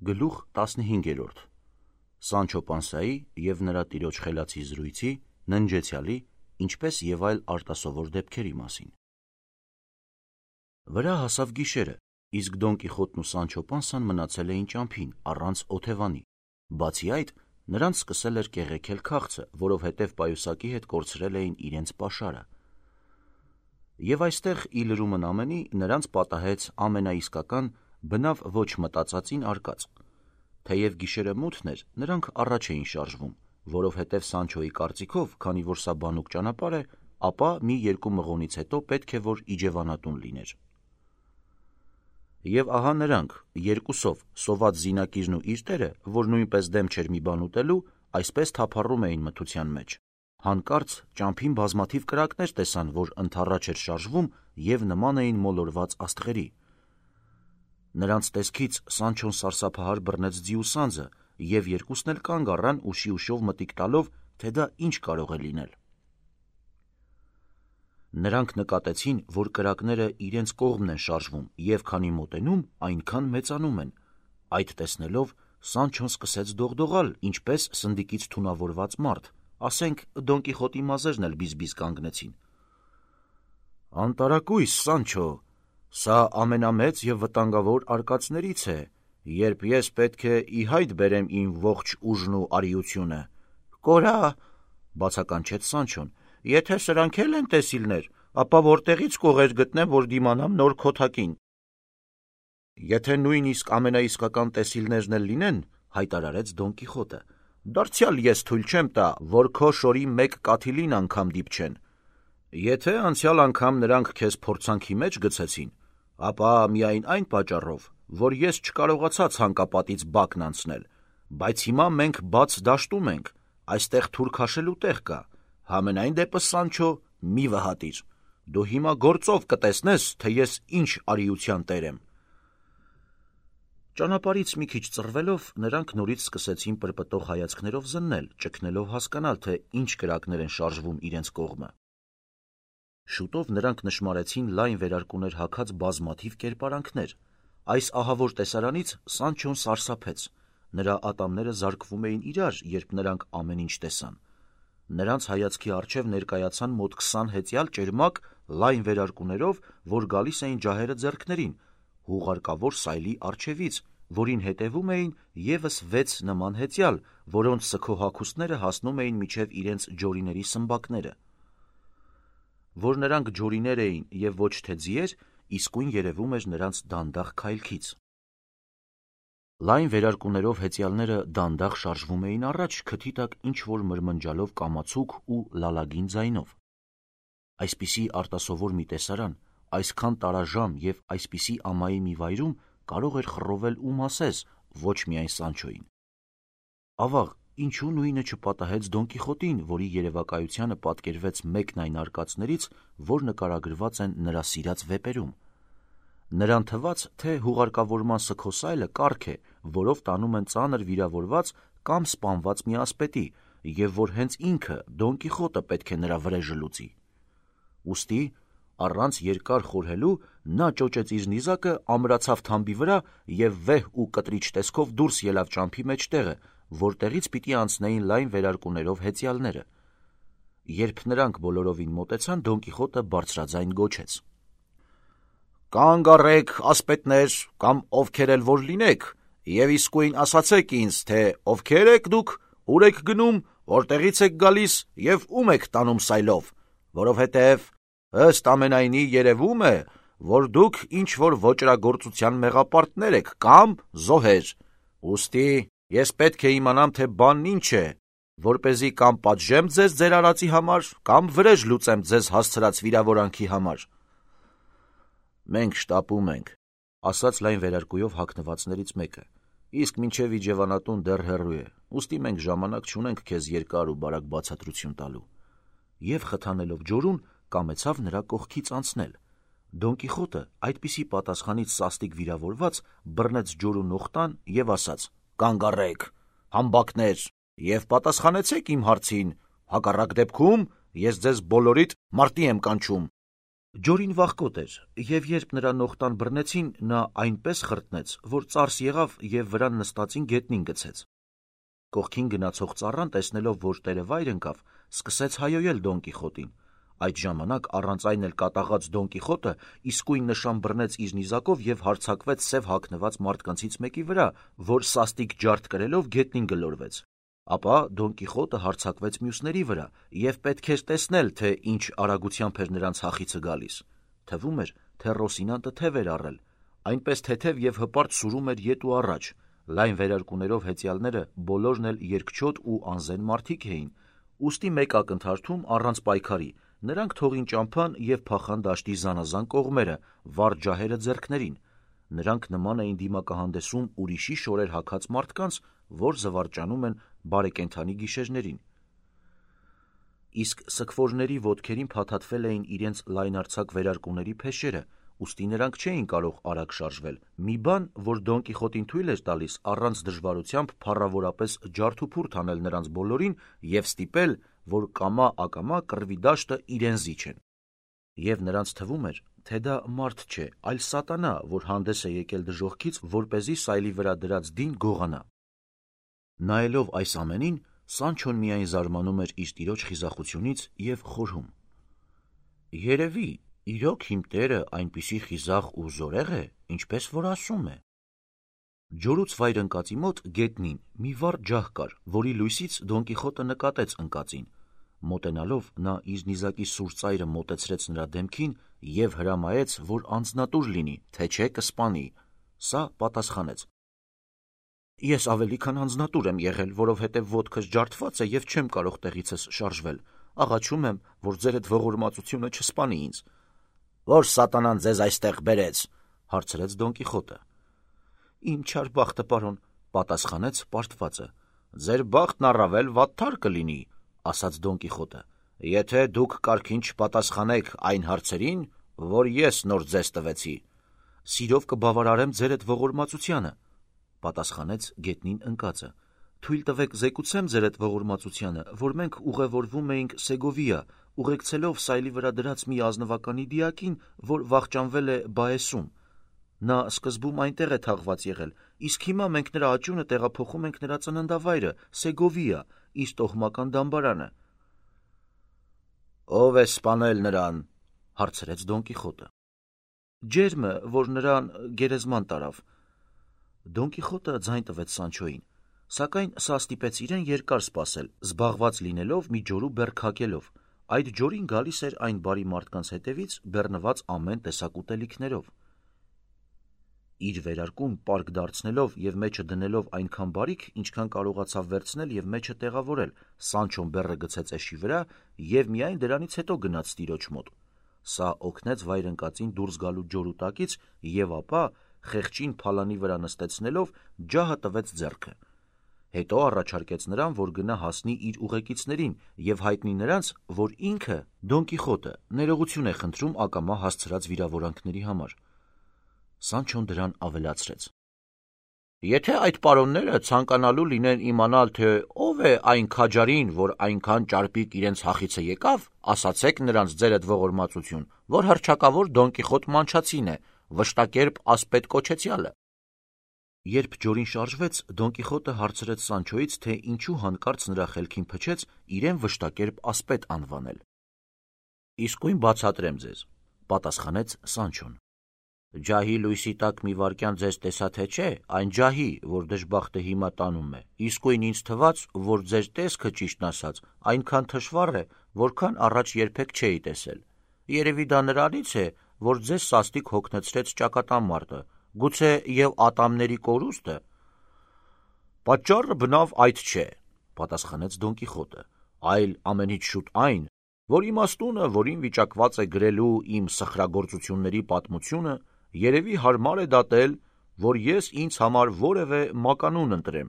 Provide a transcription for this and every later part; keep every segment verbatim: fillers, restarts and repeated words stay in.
Գլուխ տասնհինգերորդ Սանչո Պանսայի և նրա տիրոջ խելացի զրույցի, ննջեցյալի, ինչպես և այլ արտասովոր դեպքերի մասին։ Վրա հասավ գիշերը, իսկ Դոն Կիխոտն ու Սանչո Պանսան մնացել էին ճամփին, առանց օթևանի։ Բացի այդ, նրանց սկսել էր կեղեքել քաղցը, որովհետև պայուսակի հետ կորցրել էին իրենց պաշարը։ Եվ այստեղ, ի լրումն ամենի, նրանց պատահեց ամենաիսկական, բնավ ոչ մտածածին արկած։ Թեև գիշերը մութն էր, նրանք առաջ էին շարժվում, որովհետև Սանչոյի կարծիքով, քանի որ սա բանուկ ճանապարհ է, ապա մի երկու մղոնից հետո պետք է որ իջևանատուն լիներ։ Եվ ահա նրանք, երկուսով, սոված զինակիրն ու իր տերը, որ նույնպես դեմ չէր մի բան ուտելու, այսպես թափառում էին մթության մեջ։ Հանկարծ ճամփին բազմաթիվ կրակներ տեսան, որ ընդառաջ էր շարժվում և նման էին մոլորված աստղերի։ Նրանց տեսքից Սանչոն սարսափահար բռնեց ձիու սանձը, և երկուսն էլ կանգ առան ուշի ուշով մտիկ տալով, թե դա ինչ կարող է լինել։ Նրանք նկատեցին, որ կրակները իրենց կողմն են շարժվում, և քանի մոտենում, այնքան մեծանում են։ Այդ տեսնելով Սանչոն սկսեց դողդողալ, ինչպես սնդիկից թունավորված մարդ, ասենք Դոն Կիխոտի մազերն էլ բիզ-բիզ կանգնեցին։ «Անտարակույս, Սանչո, սա ամենամեծ և վտանգավոր արկածներից է, երբ ես պետք է ի հայտ բերեմ իմ ողջ ուժն ու արիությունը»։ «Կորա՛, բացականչեց Սանչոն, եթե սրանք էլ են տեսիլներ, ապա որտեղից կողեր գտնեմ, որ դիմանամ նոր քոթակին»։ «Եթե նույնիսկ ամենաիսկական տեսիլներն էլ լինեն, հայտարարեց Դոն Կիխոտը, դարձյալ ես թույլ չեմ տա, որ քո շորի մեկ կաթիլին անգամ դիպչեն։ Եթե անցյալ անգամ նրանք քեզ փորձանքի մեջ գցեցին, ապա միայն այն պատճառով, որ ես չկարողացա ցանկապատից բակն անցնել, բայց հիմա մենք բաց դաշտում ենք, այստեղ թուր քաշելու տեղ կա, համենայն դեպս, Սանչո, մի վհատիր, դու հիմա գործով կտեսնես, թե ես ինչ արիության տեր եմ»։ Ճանապարհից մի քիչ ծռվելով, նրանք նորից սկսեցին պրպտող հայացքներով զննել, ճգնելով հասկանալ, թե ինչ կրակներ են շարժվում իրենց կողմը։ Շուտով նրանք նշմարեցին լայն վերարկուներ հագած բազմաթիվ կերպարանքներ։ Այս ահավոր տեսարանից Սանչոն սարսափեց։ Նրա ատամները զարկվում էին իրար, երբ նրանք ամեն ինչ տեսան։ Նրանց հայացքի առջև ներկայացան մոտ քսան հեծյալ ճերմակ լայն վերարկուներով, որ գալիս էին ջահերը ձեռքներին, հուղարկավոր սայլի առջևից, որին հետևում էին ևս վեց նման հեծյալ, որոնց սգո-հագուստները հասնում էին մինչև իրենց ջորիների սմբակները։ Որ նրանք ջորիներ էին և ոչ թե ձիեր, իսկույն երևում էր նրանց դանդաղ քայլքից։ Լայն վերարկուներով հեծյալները դանդաղ շարժվում էին առաջ, քթի տակ ինչ-որ մրմնջալով կամացուկ ու լալագին ձայնով։ Այսպիսի արտասովոր մի տեսարան, այսքան տարաժամ և այսպիսի ամայի մի վայրում կարող էր խռովել ում ասես, ոչ միայն Սանչոյին։ Ավաղ, ինչու նույնը չպատահեց Դոն Կիխոտին, որի երևակայությանը պատկերվեց մեկն այն արկածներից, որ նկարագրված են նրա սիրած վեպերում։ Նրան թվաց, թե հուղարկավորման սգոսայլը կառք է, որով տանում են ծանր վիրավորված կամ սպանված մի ասպետի, և որ հենց ինքը, Դոն Կիխոտը պետք է նրա վրեժը լուծի։ Ուստի, առանց երկար խորհելու, նա ճոճեց իր նիզակը, ամրացավ թամբի վրա և վեհ ու կտրիչ տեսքով դուրս ելավ ճամփի մեջտեղը, որտեղից պիտի անցնեին լայն վերարկուներով հեծյալները։ Երբ նրանք բոլորովին մոտեցան, Դոն Կիխոտը բարձրաձայն գոչեց. «Կանգ առեք, ասպետներ, կամ ովքեր էլ որ լինեք, և իսկույն ասացեք ինձ, թե ովքեր եք դուք, ուր եք գնում, որտեղից եք գալիս և ում եք տանում սայլով, որովհետև ըստ ամենայնի երևում է, որ դուք ինչ-որ ոճրագործության մեղապարտներ եք կամ զոհեր։ Ուստի ես պետք է իմանամ, թե բանն ինչ է, որպեսզի կամ պատժեմ ձեզ ձեր արածի համար, կամ վրեժ լուծեմ ձեզ հասցրած վիրավորանքի համար»։ «Մենք շտապում ենք», ասաց լայն վերարկուով հագնվածներից մեկը, «իսկ մինչև իջևանատուն դեռ հեռու է, ուստի մենք ժամանակ չունենք քեզ երկար ու բարակ բացատրություն տալու»։ Եվ խթանելով ջորուն, կամեցավ նրա կողքից անցնել։ Դոն Կիխոտը, այդպիսի պատասխանից սաստիկ վիրավորված, բռնեց ջորու նողտան և ասաց. «Կանգ առեք, համբակներ, և պատասխանեցեք իմ հարցին, հակառակ դեպքում ես ձեզ բոլորիդ մարտի եմ կանչում»։ Ջորին վախկոտ էր, և երբ նրա նողտան բռնեցին, նա այնպես խրտնեց, որ ծարս եղավ և վրան նստածին գետնին գցեց։ Կողքին գնացող ծառան, տեսնելով, որ տերը վայր ընկավ, սկսեց հայոյել Դոն Կիխոտին։ Այդ ժամանակ առանց այն էլ կատաղած Դոն Կիխոտը իսկույն նշան բռնեց իր նիզակով և հարձակվեց սև հագնված մարդկանցից մեկի վրա, որ սաստիկ ջարդ կրելով գետնին գլորվեց։ Ապա Դոն Կիխոտը հարձակվեց մյուսների վրա, և պետք էր տեսնել, թե ինչ արագությամբ էր նրանց հախիցը գալիս։ Թվում էր, թե Ռոսինանտը թև էր առել, այնպես թեթև և հպարտ սուրում էր ետ ու առաջ։ Լայն վերարկուներով հեծյալները բոլորն էլ երկչոտ ու անզեն մարդիկ էին, ուստի մեկ ակնթարթում առանց պայքարի նրանք թողին ճամփան և փախան դաշտի զանազան կողմերը, վառ ջահերը ձեռքներին։ Նրանք նման էին դիմակահանդեսում ուրիշի շորեր հագած մարդկանց, որ զվարճանում են բարեկենդանի գիշերներին։ Իսկ սքվորների ոտքերին փաթաթվել էին իրենց լայնարձակ վերարկուների փեշերը, ուստի նրանք չէին կարող արագ շարժվել, մի բան, որ Դոն Կիխոտին թույլ էր տալիս առանց դժվարությամբ փառավորապես ջարդուփուրդ անել նրանց բոլորին և ստիպել, որ կամա-ակամա կռվի դաշտը իրեն զիջեն։ Եվ նրանց թվում էր, թե դա մարդ չէ, այլ սատանա, որ հանդես է եկել դժոխքից, որպեսզի սայլի վրա դրած դին գողանա։ Նայելով այս ամենին, Սանչոն միայն զարմանում էր իր տիրոջ խիզախությունից և խորհում. «Երևի, իրոք իմ տերը այնպիսի խիզախ ու զորեղ է, ինչպես որ ասում է»։ Ջորուց վայր ընկածի մոտ գետնին մի վառ ջահ կար, որի լույսից Դոն Կիխոտը նկատեց ընկածին։ Մոտենալով նա իր նիզակի սուր ծայրը մոտեցրեց նրա դեմքին և հրամայեց, որ անձնատուր լինի, թե չէ կսպանի։ Սա պատասխանեց. «Ես ավելի քան անձնատուր եմ եղել, որովհետև ոտքս ջարդված է և չեմ կարող տեղիցս շարժվել։ Աղաչում եմ, որ ձերդ ողորմածությունը չսպանի ինձ»։ «Ո՞ր սատանան ձեզ այստեղ բերեց», հարցրեց Դոն Կիխոտը։ «Իմ չար բախտը, պարոն», պատասխանեց պարտվածը։ «Ձեր բախտն առավել վատթար կլինի», ասաց Դոն Կիխոտը, «եթե դուք կարգին չպատասխանեք այն հարցերին, որ ես նոր ձեզ տվեցի»։ «Սիրով կբավարարեմ ձերդ ողորմածությանը», պատասխանեց գետնին ընկածը։ «Թույլ տվեք զեկուցեմ ձերդ ողորմածությանը, որ մենք ուղևորվում էինք Սեգովիա, ուղեկցելով սայլի վրա դրած մի ազնվականի դիակին, որ վախճանվել է Բաեսում։ Նա սկզբում այնտեղ է թաղված եղել, իսկ հիմա մենք նրա աճյունը տեղափոխում ենք նրա ծննդավայրը Սեգովիա, իր տոհմական դամբարանը»։ «Ո՞վ է սպանել նրան», հարցրեց Դոն Կիխոտը։ «Ջերմը, որ նրան գերեզման տարավ»։ Դոն Կիխոտը ձայն տվեց Սանչոյին, սակայն սա ստիպեց իրեն երկար սպասել, զբաղված լինելով մի ջորու բեռ քակելով։ Այդ ջորին գալիս էր այն բարի մարդկանց հետևից, բեռնված ամեն տեսակ ուտելիքներով։ Իր վերարկուն պարկ դարձնելով և մեջը դնելով այնքան բարիք, ինչքան կարողացավ վերցնել և մեջը տեղավորել, Սանչոն բեռը գցեց էշի վրա և միայն դրանից հետո գնաց տիրոջ մոտ։ Սա օգնեց վայր ընկածին դուրս գալու ջորու տակից և ապա, խեղճին փալանի վրա նստեցնելով, ջահը տվեց ձեռքը։ Հետո առաջարկեց նրան, որ գնա հասնի իր ուղեկիցներին և հայտնի նրանց, որ ինքը՝ Դոն Կիխոտը, ներողություն է խնդրում ակամա հասցրած վիրավորանքների համար։ Սանչոն դրան ավելացրեց. «Եթե այդ պարոնները ցանկանալու լինեն իմանալ, թե ով է այն քաջարին, որ այնքան ճարպիկ իրենց հախիցը եկավ, ասացեք նրանց, ձերդ ողորմածություն, որ հռչակավոր Դոն Կիխոտ Մանչացին է, վշտակերպ ասպետ կոչեցյալը»։ Երբ ջորին շարժվեց, Դոն Կիխոտը հարցրեց Սանչոյից, թե ինչու հանկարծ նրա խելքին փչեց իրեն վշտակերպ ասպետ անվանել։ «Իսկույն բացատրեմ ձեզ», պատասխանեց Սանչոն։ «Ջահի լույսի տակ մի վայրկյան ձեզ տեսա թե չէ, այն ջահի, որ դժբախտը հիմա տանում է, իսկույն ինձ թվաց, որ ձեր տեսքը, ճիշտն ասած, այնքան թշվառ է, որքան առաջ երբեք չէի տեսել։ Երևի դա նրանից է, որ ձեզ սաստիկ հոգնեցրեց ճակատամարտը, գուցե և ատամների կորուստը»։ «Պատճառը բնավ այդ չէ», պատասխանեց Դոն Կիխոտը, «այլ ամենից շուտ այն, որ իմաստունը, որին վիճակված է գրելու իմ սխրագործությունների պատմությունը, երևի հարմար է դատել, որ ես ինձ համար որևէ մականուն ընտրեմ,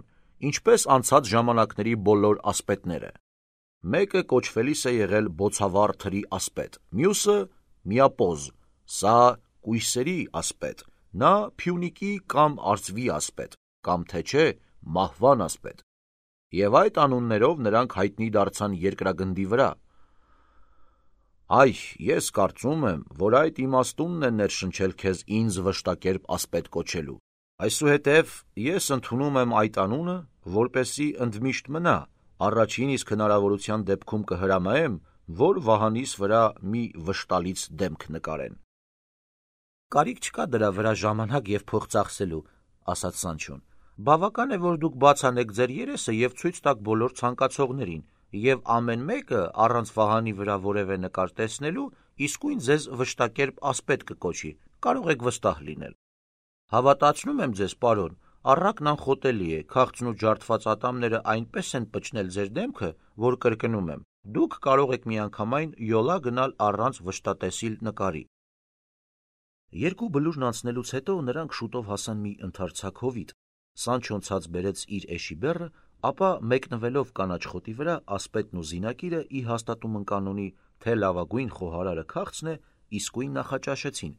ինչպես անցած ժամանակների բոլոր ասպետները։ Մեկը կոչվելիս է եղել բոցավառ թրի ասպետ, մյուսը միապոզ, սա կույսերի ասպետ, նա Փյունիկի կամ արծվի ասպետ, կամ թե չէ մահվան ասպետ։ Եվ այդ անուններով նրանք հայտնի դարձան երկրագնդի վրա։ Այ, ես կարծում եմ, որ այդ իմաստունն է ներշնչել քեզ ինձ վշտակերպ ասպետ կոչելու։ Այսուհետև ես ընդունում եմ այդ անունը, որպեսզի ընդմիշտ մնա, առաջին իսկ հնարավորության դեպքում կհրամայեմ, որ վահանիս վրա մի վշտալից դեմք նկարեն։ Կարիք չկա դրա վրա ժամանակ և փող ծախսելու, ասաց Սանչոն։ Բավական է, որ դուք բաց անեք ձեր երեսը և ցույց տաք բոլոր ցանկացողներին, և ամեն մեկը առանց վահանի վրա որևէ նկար տեսնելու իսկույն ձեզ վշտակերպ ասպետ կկոչի, կարող եք վստահ լինել։ Հավատացնում եմ ձեզ, պարոն, առակն անխոտելի է, քաղցն ու ջարդված ատամները այնպես են պճնել ձեր դեմքը, որ կրկնում եմ, դուք կարող եք միանգամայն յոլա գնալ առանց վշտատեսիլ նկարի։ Երկու բլուրն անցնելուց հետո նրանք շուտով հասան մի ընդարձակ հովիտ։ Սանչոն ցած բերեց իր էշի բեռը, ապա մեկնվելով կանաչ խոտի վրա, ասպետն ու զինակիրը ի հաստատում ընկան ունի, թե լավագույն խոհարարը քաղցն է, իսկույն նախաճաշեցին,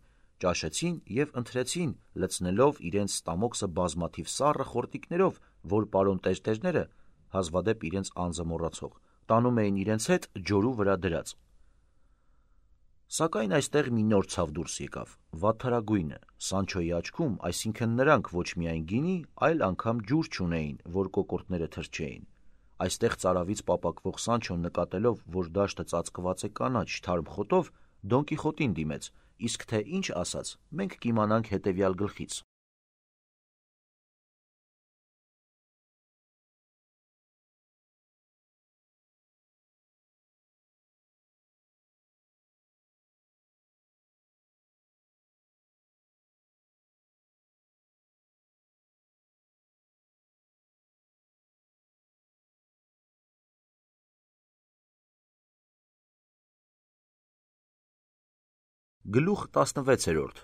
ճաշեցին և ընթրեցին, լցնելով իրենց ստամոքսը բազմաթիվ սառը խորտիկներով, որ պարոն տերտերները, հազվադեպ իրենց անձը մոռացող, տանում էին իրենց հետ ջորու վրա դրած։ Սակայն այստեղ մի նոր ցավ դուրս եկավ, վատթարագույնը։ Սանչոյի աչքում, այսինքն նրանք ոչ միայն գինի, այլ անգամ ջուր չունեին, որ կոկորդները թրջեին։ Այստեղ ծարավից պապակվող Սանչոն նկատելով, որ դաշտը ծածկված է կանաչ թարմ խոտով, Դոն Կիխոտին դիմեց, իսկ թե ինչ ասաց, մենք կիմանանք հետևյալ գլխից։ Գլուխ տասնվեցերորդ.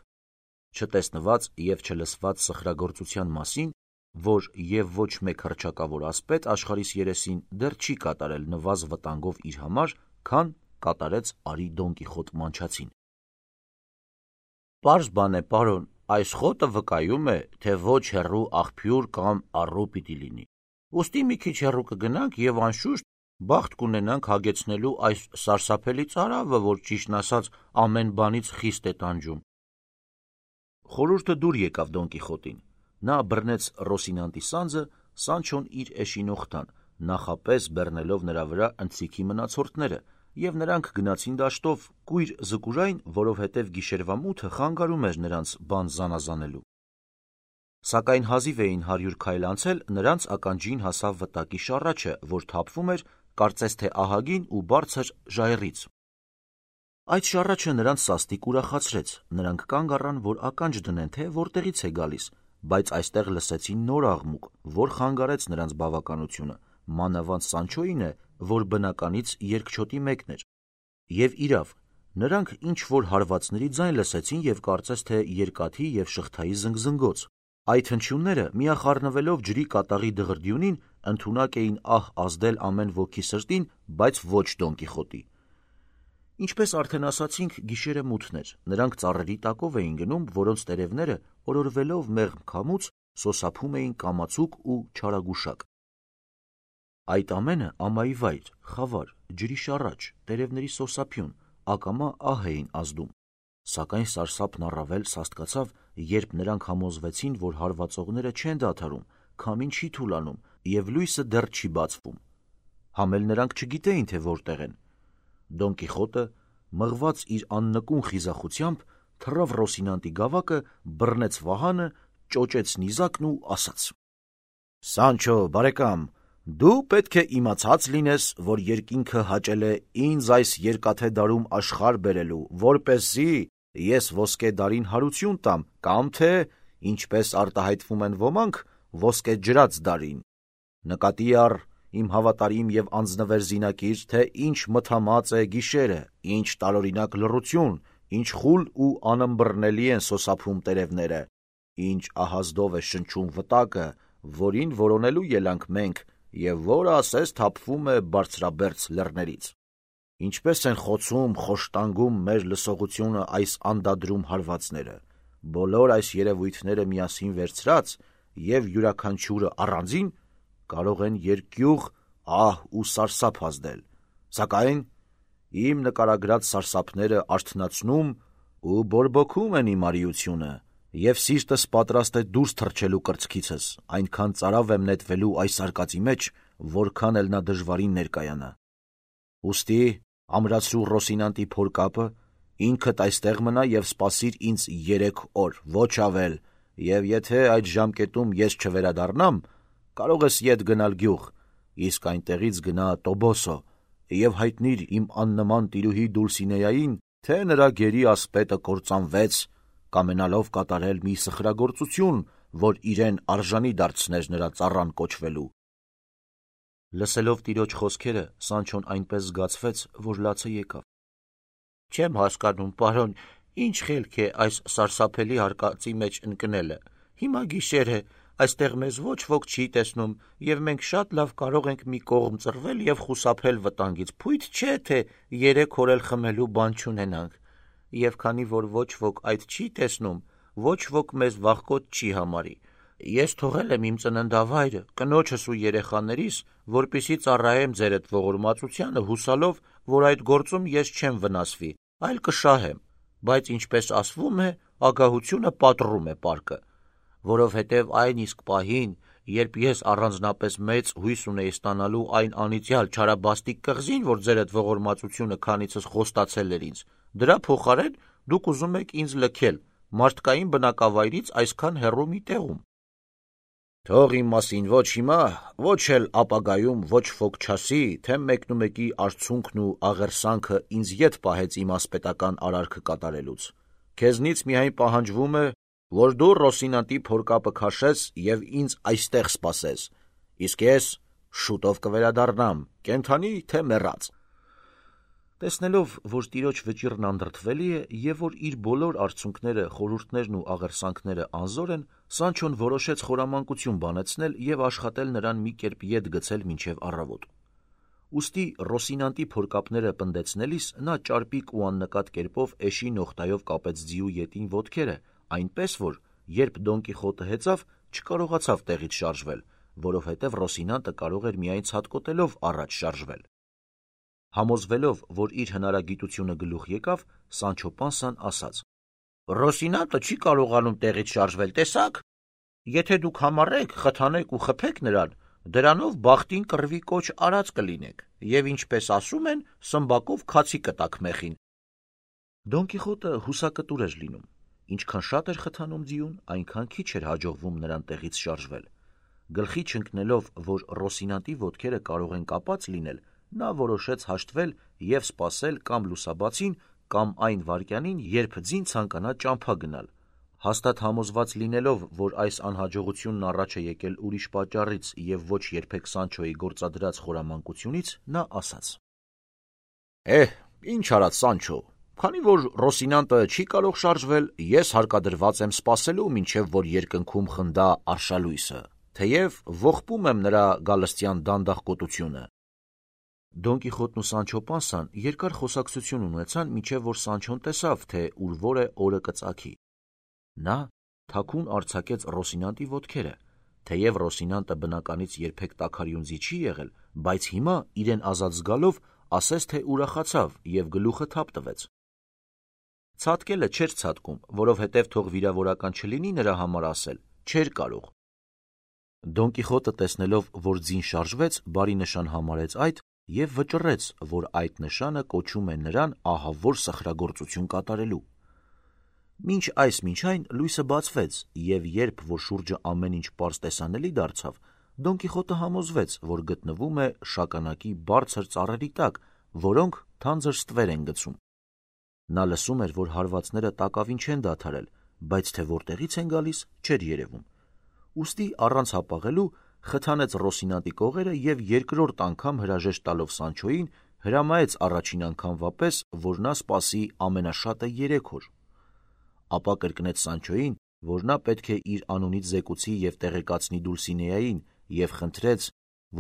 Չտեսնված և չլսված սխրագործության մասին, որ և ոչ մեկ հռչակավոր ասպետ աշխարհիս երեսին դեռ չի կատարել նվազ վտանգով իր համար, քան կատարեց արի Դոն Կիխոտ մանչացին։ Պարզ բան է, պարոն, այս խոտը վկայում է, թե ոչ հեռու աղբյուր կամ առու պիտի լինի։ Ուստի մի քիչ հեռու կգնանք և անշուշտ բախտ կունենանք հագեցնելու այս սարսափելի ծարավը, որ ճիշտն ասած ամեն բանից խիստ է տանջում։ Խորհուրդը դուր եկավ Դոն Կիխոտին։ Նա բռնեց Ռոսինանտի սանձը, Սանչոն իր էշին օգտան, նախապես բեռնելով նրա վրա ընթրիքի մնացորդները, և նրանք գնացին դաշտով կույր զկուրային, որովհետև գիշերվա մութը խանգարում էր նրանց բան զանազանելու։ Սակայն հազիվ էին հարյուր քայլ անցել, նրանց ականջին հասավ վտակի շառաչը, որ թափվում էր, կարծես թե ահագին ու բարձր ժայռից։ Այդ շառաչը նրանց սաստիկ ուրախացրեց, նրանք կանգ առան, որ ականջ դնեն, թե որտեղից է գալիս, բայց այստեղ լսեցին նոր աղմուկ, որ խանգարեց նրանց բավականությունը, մանավանդ Սանչոյինը, որ բնականից երկչոտի մեկն էր։ Եվ իրավ, նրանք ինչ-որ հարվածների ձայն լսեցին և կարծես թե երկաթի և շղթայի զնգզնգոց։ Այդ հնչյունները, միախառնվելով ջրի կատաղի դղրդյունին, ընդունակ էին ահ ազդել ամեն ոքի սրտին, բայց ոչ Դոն Կիխոտի։ Ինչպես արդեն ասացինք, գիշերը մութն էր, նրանք ծառերի տակով էին գնում, որոնց տերևները, օրորվելով մեղմ քամուց, սոսափում էին կամացուկ ու չարագուշակ։ Այդ ամենը ամայի վայր, խավար, ջրի շառաչ, տերևների սոսափյուն, ակամա ահ էին ազդում։ Սակայն սարսափն առավել սաստկացավ, երբ նրանք համոզվեցին, որ հարվածողները չեն դադարում, քամին չի թուլանում և լույսը դեռ չի բացվում։ Համ էլ նրանք չգիտեին, թե որտեղ են։ Դոն Կիխոտը, մղված իր աննկուն խիզախությամբ, թռավ Ռոսինանտի գավակը, բռնեց վահանը, ճոճեց նիզակն ու ասաց. Սանչո, բարեկամ, դու պետք է իմացած լինես, որ երկինքը հաճել է ինձ այս երկաթե դարում աշխարհ բերելու, որպեսզի ես ոսկե դարին հարություն տամ, կամ թե, ինչպես արտահայտվում են ոմանք, ոսկե ջրած դարին։ Նկատի առ, իմ հավատարիմ և անձնվեր զինակիր, թե ինչ մթամած է գիշերը, ինչ տարօրինակ լռություն, ինչ խուլ ու անըմբռնելի են սոսափում տերևները, ինչ ահազդով է շնչում վտակը, որին որոնելու ելանք մենք, և որը ասես թափվում է բարձրաբերձ լեռներից։ Ինչպես են խոցում, խոշտանգում մեր լսողությունը այս անդադրում հարվածները, բոլոր այս երևույթները միասին վերցրած և յուրաքանչյուրը առանձին կարող են երկյուղ, ահ ու սարսափ ազդել, սակայն իմ նկարագրած սարսափները արթնացնում ու բորբոքում են իմ արիությունը, և սիրտս պատրաստ է դուրս թռչելու կրծքիցս, այնքան ծարավ եմ նետվելու այս արկածի մեջ, որքան էլ նա դժվարին ներկայանա։ Ուստի ամրացրու Ռոսինանտի փորկապը, ինքդ այստեղ մնա և սպասիր ինձ երեք օր, ոչ ավել, և եթե այդ ժամկետում ես չվերադառնամ, կարող ես ետ գնալ գյուղ, իսկ այնտեղից գնա Տոբոսո և հայտնիր իմ աննման տիրուհի Դուլսինեային, թե նրա գերի ասպետը կործանվեց, կամենալով կատարել մի սխրագործություն, որ իրեն արժանի դարձներ նրա ծառան կոչվելու։ Լսելով տիրոջ խոսքերը, Սանչոն այնպես զգացվեց, որ լացը եկավ։ Չեմ հասկանում, պարոն, ինչ խելք է այս սարսափելի արկածի մեջ ընկնելը։ Հիմա գիշեր է, այստեղ մեզ ոչ ոք չի տեսնում, և մենք շատ լավ կարող ենք մի կողմ ծռվել և խուսափել վտանգից, փույթ չէ, թե երեք օր էլ խմելու բան չունենանք, և քանի որ ոչ ոք այդ չի տեսնում, ոչ ոք մեզ վախկոտ չի համարի։ Ես թողել եմ իմ ծննդավայրը, կնոջս ու երեխաներիս, որպեսզի ծառայեմ ձերդ ողորմածությանը, հուսալով, որ այդ գործում ես չեմ վնասվի, այլ կշահեմ, բայց ինչպես ասվում է, ագահությունը պատռում է պարկը, որովհետև այն իսկ պահին, երբ ես առանձնապես մեծ հույս ունեի ստանալու այն անիծյալ չարաբաստիկ կղզին, որ ձերդ ողորմածությունը քանիցս խոստացել էր ինձ, դրա փոխարեն դուք ուզում եք ինձ լքել մարդկային բնակավայրից այսքան հեռու մի տեղում։ Թող իմ մասին ոչ հիմա, ոչ էլ ապագայում ոչ ոք չասի, թե մեկնումեկի արցունքն ու աղերսանքը ինձ ետ պահեց իմ ասպետական արարքը կատարելուց։ Քեզնից միայն պահանջվում է, որ դու Ռոսինանտի փորկապը քաշես և ինձ այստեղ սպասես, իսկ ես շուտով կվերադառնամ, կենդանի թե մեռած։ Տեսնելով, որ տիրոջ վճիռն անդրդվելի է և որ իր բոլոր արցունքները, խորհուրդներն ու աղերսանքները անզոր են, Սանչոն որոշեց խորամանկություն բանեցնել և աշխատել նրան մի կերպ ետ գցել մինչև առավոտ։ Ուստի Ռոսինանտի փորկապները պնդեցնելիս նա ճարպիկ ու աննկատ կերպով էշի նողտայով կապեց ձիու ետին ոտքերը, այնպես որ, երբ Դոն Կիխոտը հեծավ, չկարողացավ տեղից շարժվել, որովհետև Ռոսինանտը կարող էր միայն ցատկոտելով առաջ շարժվել։ Համոզվելով, որ իր հնարագիտությունը գլուխ եկավ, Սանչո Պանսան ասաց. Ռոսինանտը չի կարողանում տեղից շարժվել, տեսաք։ Եթե դուք համառեք, խթանեք ու խփեք նրան, դրանով բախտին կռվի կոչ արած կլինեք, և ինչպես ասում են, սմբակով քացի կտաք մեխին։ Դոն Կիխոտը հուսակտուր էր լինում, ինչքան շատ էր խթանում ձիուն, այնքան քիչ էր հաջողվում նրան տեղից շարժվել։ Գլխի չընկնելով, որ Ռոսինանտի ոտքերը կարող են կապած լինել, նա որոշեց հաշտվել և սպասել կամ լուսաբացին, կամ այն վայրկյանին, երբ ձին ցանկանա ճամփա գնալ։ Հաստատ համոզված լինելով, որ այս անհաջողությունն առաջ է եկել ուրիշ պատճառից և ոչ երբեք Սանչոյի գործադրած խորամանկությունից, նա ասաց. Էհ, ինչ արած Սանչո, քանի որ Ռոսինանտը չի կարող շարժվել, ես հարկադրված եմ սպասելու, մինչև որ երկնքում խնդա արշալույսը, թեև ողբում եմ նրա գալստյան դանդաղ կոտությունը։ Դոն Կիխոտն ու Սանչո Պանսան երկար խոսակցություն ունեցան, մինչև որ Սանչոն տեսավ, թե ուր որ է օրը կծագի։ Նա թաքուն արձակեց Ռոսինանտի ոտքերը, թեև Ռոսինանտը բնականից երբեք տաքարյուն ձի չի եղել, բայց հիմա իրեն ազատ զգալով ասես թե ուրախացավ և գլուխը թափ տվեց։ Ցատկելը չէր ցատկում, որովհետև թող վիրավորական չլինի նրա համար ասել, չէր կարող։ Դոն Կիխոտը տեսնելով, որ ձին շարժվեց, բարի նշան համարեց այդ և վճռեց, որ այդ նշանը կոչում է նրան ահավոր սխրագործություն կատարելու։ Մինչ այս մինչ այն լույսը բացվեց, և երբ որ շուրջը ամեն ինչ պարզ տեսանելի դարձավ, Դոն Կիխոտը համոզվեց, որ գտնվում է շագանակի բարձր ծառերի տակ, որոնք թանձր ստվեր են գցում։ Նա լսում էր, որ հարվածները տակավին չեն դադարել, բայց թե որտեղից են գալիս, չէր երևում։ Ուստի առանց հապաղելու խթանեց Ռոսինանտի կողերը և երկրորդ անգամ հրաժեշտ տալով Սանչոյին, հրամայեց առաջին անգամվա պես, որ նա սպասի ամենաշատը երեք օր։ Ապա կրկնեց Սանչոյին, որ նա պետք է իր անունից զեկուցի և տեղեկացնի Դուլսինեային, և խնդրեց,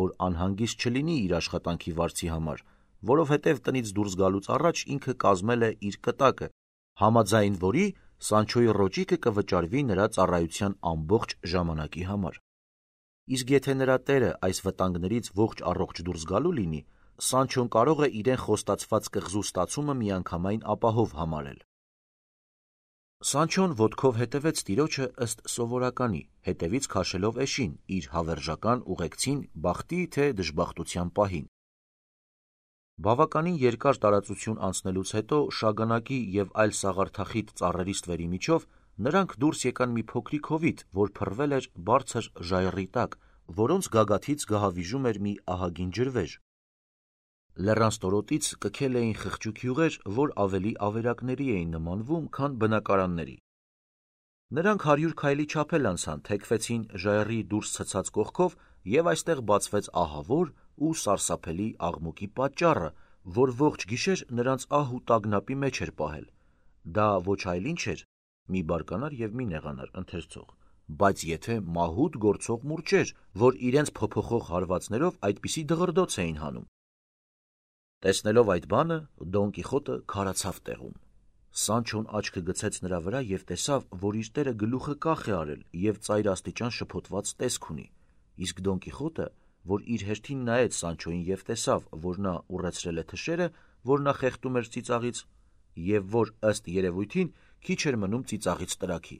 որ անհանգիստ չլինի իր աշխատանքի վարձի համար, որովհետև տնից դուրս գալուց առաջ ինքը կազմել է իր կտակը, համաձայն որի Սանչոյի ռոճիկը կվճարվի նրա ծառայության ամբողջ ժամանակի համար։ Իսկ եթե նրա տերը այս վտանգներից ողջ առողջ դուրս գալու լինի, Սանչոն կարող է իրեն խոստացված կղզու ստացումը միանգամայն ապահով համարել։ Սանչոն ոտքով հետևեց տիրոջը ըստ սովորականի, հետևից քաշելով էշին, իր հավերժական ուղեկցին բախտի թե դժբախտության պահին։ Բավականին երկար տարածություն անցնելուց հետո շագանակի և այլ սաղարթախիտ ծառերի ստվերի միջով նրանք դուրս եկան մի փոքրիկ հովիտ, որ փռվել էր բարձր ժայռի տակ, որոնց գագաթից գահավիժում էր մի ահագին ջրվեժ։ Լեռան ստորոտից կքել էին խղճուկ յուղեր, որ ավելի ավերակների էին նմանվում, քան բնակարանների։ Նրանք հարյուր քայլի չափ էլ անցան, թեքվեցին ժայռի դուրս ցցած կողքով, և այստեղ բացվեց ահավոր ու սարսափելի աղմուկի պատճառը, որ ողջ գիշեր նրանց ահ ու տագնապի մեջ էր պահել։ Դա ոչ այլ ինչ էր, մի բարկանար և մի նեղանար ընթերցող, բայց եթե մահուտ գործող մուրճեր, որ իրենց փոփոխող հարվածներով այդպիսի դղրդոց էին հանում։ Տեսնելով այդ բանը, Դոն Կիխոտը քարացավ տեղում։ Սանչոն աչքը գցեց նրա վրա և տեսավ, որ իր տերը գլուխը կախ է արել և ծայրաստիճան շփոթված տեսք ունի, իսկ Դոն Կիխոտը, որ իր հերթին նայեց Սանչոյին և տեսավ, որ նա ուռեցրել է թշերը, որ նա խեղդում էր ծիծաղից, և որ, ըստ երևույթին, քիչ էր մնում ծիծաղից տրաքի։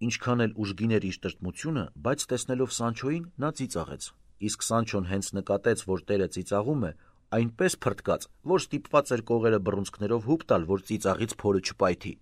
Ինչքան էլ ուժգին էր իր տրտմությունը, բայց տեսնելով Սանչոյին, նա ծիծաղեց, իսկ Սանչոն հենց նկատեց, որ տերը ծիծաղում է, այնպես փռթկաց, որ ստիպված էր կողերը բռունցքներով հուպ տալ, որ ծիծաղից փորը չպայթի։